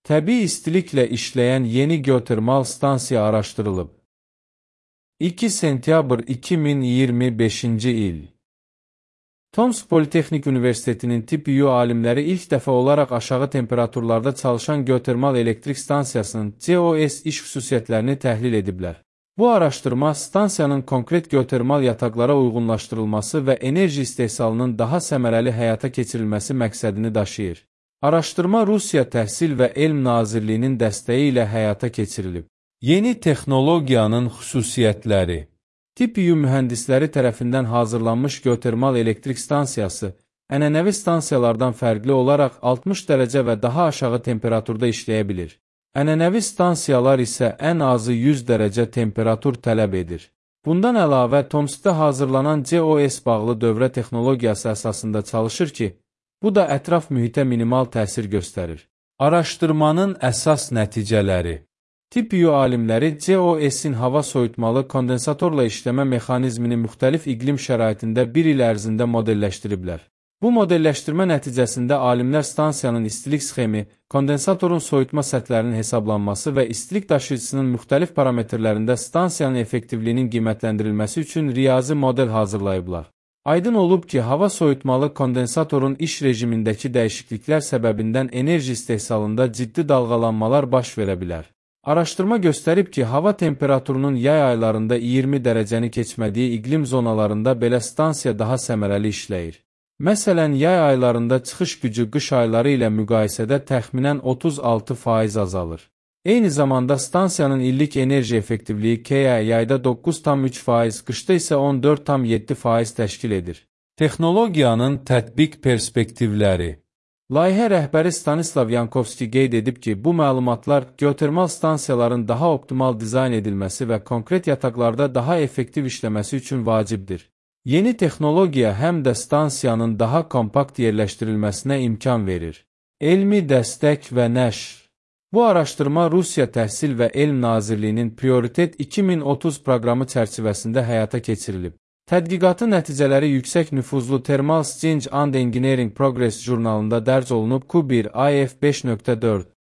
Təbii istiliklə işləyən yeni geotermal stansiya araşdırılıb. 2 sentyabr 2025-ci il. Tomsk Politexnik Universitetinin Tibb-Biyo alimləri ilk dəfə olaraq aşağı temperaturlarda çalışan geotermal elektrik stansiyasının COS iş xüsusiyyətlərini təhlil ediblər. Bu araşdırma stansiyanın konkret geotermal yataqlara uyğunlaşdırılması və enerji istehsalının daha səmərəli həyata keçirilməsi məqsədini daşıyır. Araşdırma Rusiya Təhsil və Elm Nazirliyinin dəstəyi ilə həyata keçirilib. Yeni texnologiyanın xüsusiyyətləri. Tibb-Biyo mühəndisləri tərəfindən hazırlanmış geotermal elektrik stansiyası ənənəvi stansiyalardan fərqli olaraq 60 dərəcə və daha aşağı temperaturda işləyə bilir. Ənənəvi stansiyalar isə ən azı 100 dərəcə temperatur tələb edir. Bundan əlavə, Tomskda hazırlanan COS bağlı dövrə texnologiyası əsasında çalışır ki, bu da ətraf mühitə minimal təsir göstərir. Araşdırmanın əsas nəticələri. Tibb-Biyo alimləri COS-in hava soyutmalı kondensatorla işləmə mexanizmini müxtəlif iqlim şəraitində bir il ərzində modelləşdiriblər. Bu modelləşdirmə nəticəsində alimlər stansiyanın istilik sxemi, kondensatorun soyutma səthlərinin hesablanması və istilik daşıyıcısının müxtəlif parametrlərində stansiyanın effektivliyinin qiymətləndirilməsi üçün riyazi model hazırlayıblar. Aydın olub ki, hava soyutmalı kondensatorun iş rejimindəki dəyişikliklər səbəbindən enerji istehsalında ciddi dalğalanmalar baş verə bilər. Araşdırma göstərib ki, hava temperaturunun yay aylarında 20 dərəcəni keçmədiyi iqlim zonalarında belə stansiya daha səmərəli işləyir. Məsələn, yay aylarında çıxış gücü qış ayları ilə müqayisədə təxminən 36% azalır. Eyni zamanda stansiyanın illik enerji effektivliyi KA yayda 9,3%, qışda isə 14,7% təşkil edir. Texnologiyanın tətbiq perspektivləri. Layihə rəhbəri Stanislav Yankovski qeyd edib ki, bu məlumatlar geotermal stansiyaların daha optimal dizayn edilməsi və konkret yataqlarda daha effektiv işləməsi üçün vacibdir. Yeni texnologiya həm də stansiyanın daha kompakt yerləşdirilməsinə imkan verir. Elmi dəstək və nəşr. Bu araşdırma Rusiya Təhsil və Elm Nazirliyinin Prioritet 2030 proqramı çərçivəsində həyata keçirilib. Tədqiqatın nəticələri yüksək nüfuzlu Thermal Exchange and Engineering Progress jurnalında dərc olunub Q1 IF 5.4.